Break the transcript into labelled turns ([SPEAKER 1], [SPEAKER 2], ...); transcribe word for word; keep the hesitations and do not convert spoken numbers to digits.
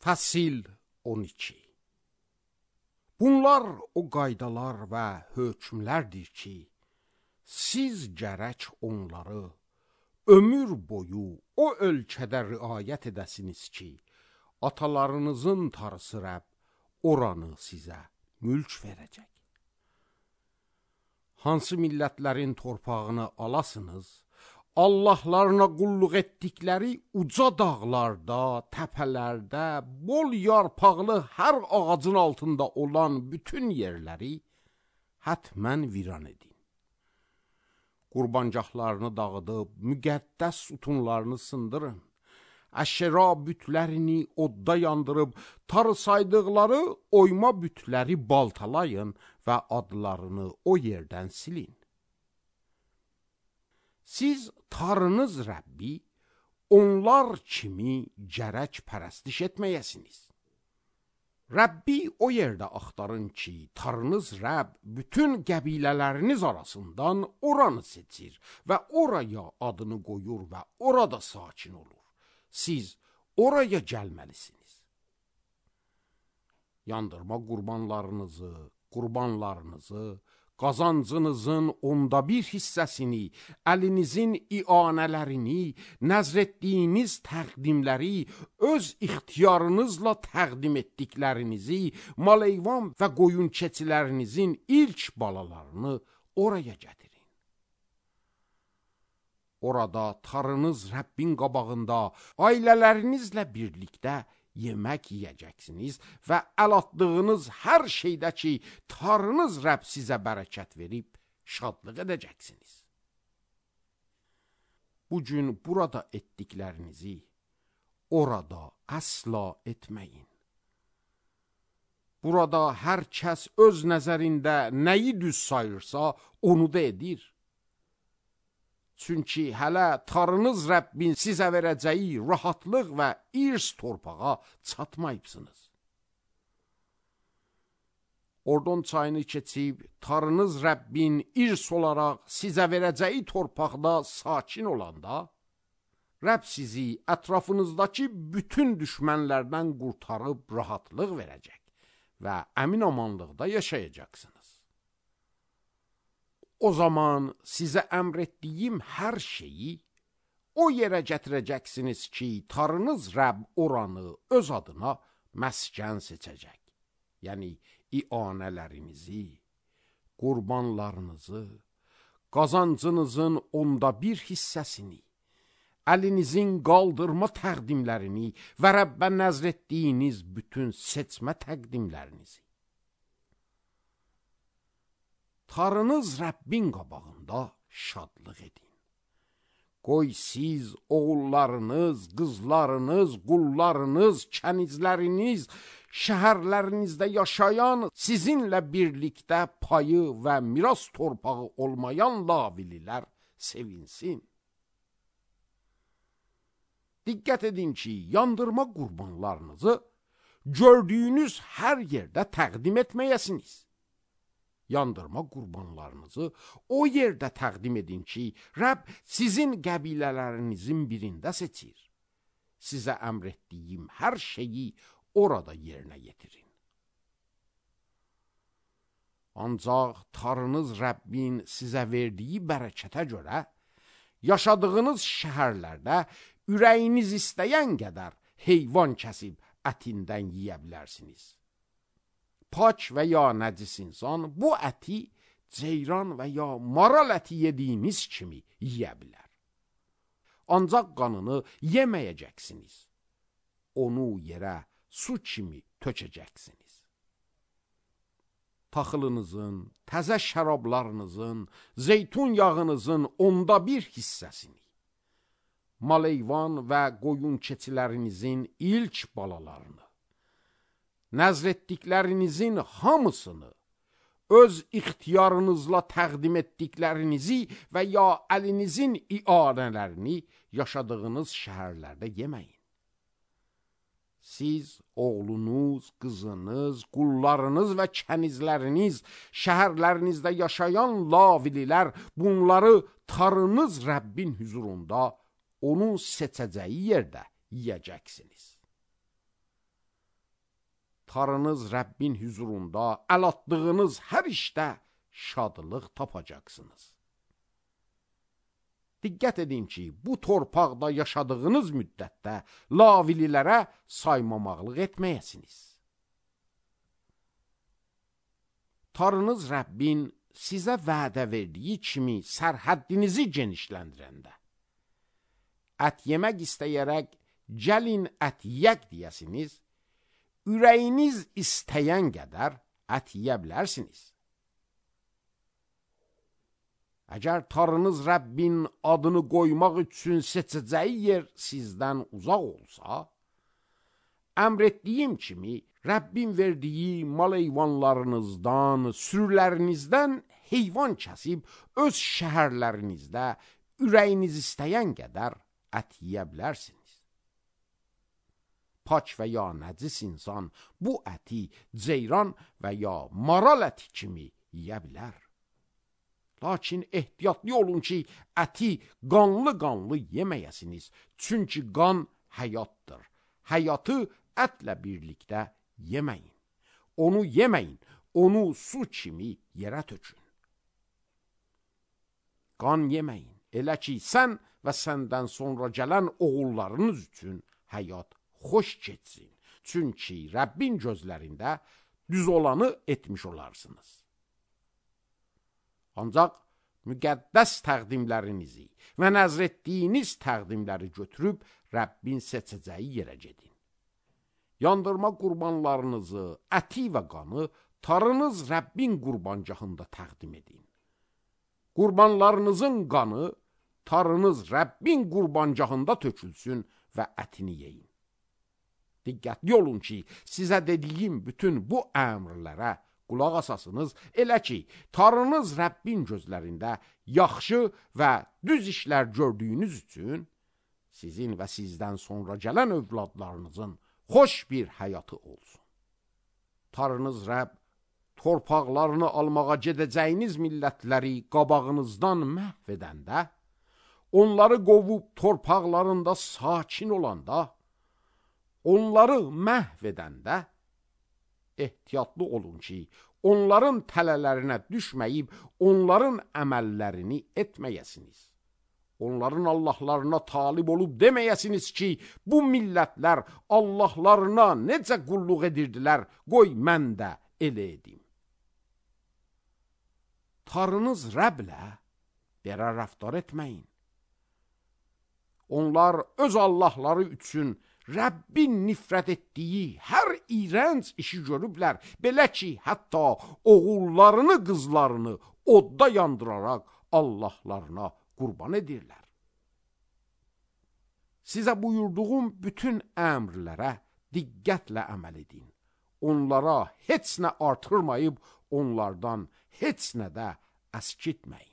[SPEAKER 1] Fəsil on iki. Bunlar o qaydalar və hökmlərdir ki, siz gərək onları ömür boyu o ölkədə riayət edəsiniz ki, atalarınızın tarısı Rəbb oranı sizə mülk verəcək. Hansı millətlərin torpağını alasınız, Allahlarına qulluq etdikləri uca dağlarda, təpələrdə, bol yarpaqlı hər ağacın altında olan bütün yerləri hətmən viran edin. Qurbancaqlarını dağıdıb, müqəddəs sütunlarını sındırın. Əşera bütlərini odda yandırıb, tarı saydıqları oyma bütləri baltalayın və adlarını o yerdən silin. Siz tarınız Rəbbi, onlar kimi gərək pərəstiş etməyəsiniz. Rəbbi o yerdə axtarın ki, tarınız Rəbb bütün qəbilələriniz arasından oranı seçir və oraya adını qoyur və orada sakin olur. Siz oraya gəlməlisiniz. Yandırma qurbanlarınızı, qurbanlarınızı, qazancınızın onda bir hissəsini, əlinizin ianələrini, nəzr etdiyiniz təqdimləri, öz ixtiyarınızla təqdim etdiklərinizi, maleyvan və qoyun keçilərinizin ilk balalarını oraya gətirin. Orada tarınız Rəbbin qabağında ailələrinizlə birlikdə yemək yiyəcəksiniz və əl atdığınız hər şeydə ki, tarınız Rəbb sizə bərəkət verib, şadlıq edəcəksiniz. Bugün burada etdiklərinizi orada əsla etməyin. Burada hər kəs öz nəzərində nəyi düz sayırsa, onu da edir. Çünki hələ tarınız Rəbbin sizə verəcəyi rahatlıq və irs torpağa çatmayıbsınız. Ordon çayını keçib, tarınız Rəbbin irs olaraq sizə verəcəyi torpaqda sakin olanda, Rəbb sizi ətrafınızdakı bütün düşmənlərdən qurtarıb rahatlıq verəcək və əmin amanlıqda yaşayacaqsınız. O zaman sizə əmr etdiyim hər şeyi o yerə gətirəcəksiniz ki, tarınız Rəbb oranı öz adına məskən seçəcək. Yəni, ianələrinizi, qurbanlarınızı, qazancınızın onda bir hissəsini, əlinizin qaldırma təqdimlərini və Rəbbə nəzr etdiyiniz bütün seçmə təqdimlərinizi. Tarınız Rəbbin qabağında şadlıq edin. Qoy siz, oğullarınız, qızlarınız, qullarınız, kənizləriniz, şəhərlərinizdə yaşayan, sizinlə birlikdə payı və miras torpağı olmayan lavililər sevinsin. Diqqət edin ki, yandırma qurbanlarınızı gördüyünüz hər yerdə təqdim etməyəsiniz. Yandırma qurbanlarınızı o yerdə təqdim edin ki, Rəbb sizin qəbilələrinizin birində seçir. Sizə əmr etdiyim hər şeyi orada yerinə yetirin. Ancaq tarınız Rəbbin sizə verdiyi bərəkətə görə, yaşadığınız şəhərlərdə ürəyiniz istəyən qədər heyvan kəsib ətindən yiyə bilərsiniz. Pak və ya nəcis insan bu əti ceyran və ya maral əti yediyiniz kimi yiyə bilər. Ancaq qanını yeməyəcəksiniz. Onu yerə su kimi tökəcəksiniz. Taxılınızın, təzə şərablarınızın, zeytun yağınızın onda bir hissəsini, maleyvan və qoyun keçilərinizin ilk balalarını, nəzr etdiklərinizin hamısını, öz ixtiyarınızla təqdim etdiklərinizi və ya əlinizin ianələrini yaşadığınız şəhərlərdə yeməyin. Siz, oğlunuz, qızınız, qullarınız və kənizləriniz, şəhərlərinizdə yaşayan lavililər bunları tarınız Rəbbin huzurunda onun seçəcəyi yerdə yiyəcəksiniz. tarınız Rəbbin huzurunda əl atdığınız hər işdə şadlıq tapacaqsınız. Diqqət edin ki, bu torpaqda yaşadığınız müddətdə lavililərə saymamaqlıq etməyəsiniz. Tanrınız Rəbbin sizə vədə verdiyi kimi sərhəddinizi genişləndirəndə, ət yemək istəyərək gəlin ət yeyək deyəsiniz, ürəyiniz istəyən qədər ət yeyə bilərsiniz. Əgər Tanrınız Rəbbin adını qoymaq üçün seçəcəyi yer sizdən uzaq olsa, əmr etdiyim kimi Rəbbin verdiyi mal heyvanlarınızdan, sürülərinizdən heyvan kəsib öz şəhərlərinizdə ürəyiniz istəyən qədər ət yeyə bilərsiniz. Paç və ya nəcis insan bu əti ceyran və ya maral əti kimi yeyə bilər. Lakin ehtiyatlı olun ki, əti qanlı-qanlı yeməyəsiniz. Çünki qan həyatdır. Həyatı ətlə birlikdə yeməyin. Onu yeməyin, onu su kimi yerə tökün. Qan yeməyin, elə ki, sən və səndən sonra gələn oğullarınız üçün həyat xoş keçsin. Çünki Rəbbin gözlərində düz olanı etmiş olarsınız. Ancaq müqəddəs təqdimlərinizi və nəzr etdiyiniz təqdimləri götürüb Rəbbin seçəcəyi yerə gedin. Yandırma qurbanlarınızı, əti və qanı tarınız Rəbbin qurbancahında təqdim edin. Qurbanlarınızın qanı tarınız Rəbbin qurbancahında tökülsün və ətini yeyin. Diqqətli olun ki, sizə dediyim bütün bu əmrlərə qulaq asasınız, elə ki, Tanrınız Rəbbin gözlərində yaxşı və düz işlər gördüyünüz üçün sizin və sizdən sonra gələn övladlarınızın xoş bir həyatı olsun. Tanrınız Rəbb torpaqlarını almağa gedəcəyiniz millətləri qabağınızdan məhv edəndə, onları qovub torpaqlarında sakin olanda, onları məhv edəndə, ehtiyatlı olun ki, onların tələlərinə düşməyib, onların əməllərini etməyəsiniz. Onların Allahlarına talib olub deməyəsiniz ki, bu millətlər Allahlarına necə qulluq edirdilər, qoy mən də elə edim. Tanrınız Rəbblə belə rəftar etməyin. Onlar öz Allahları üçün Rəbbin nifrət etdiyi hər iyrənc işi görüblər, belə ki, hətta oğullarını, qızlarını odda yandıraraq Allahlarına qurban edirlər. Sizə buyurduğum bütün əmrlərə diqqətlə əməl edin. Onlara heç nə artırmayıb, onlardan heç nə də əskitməyin.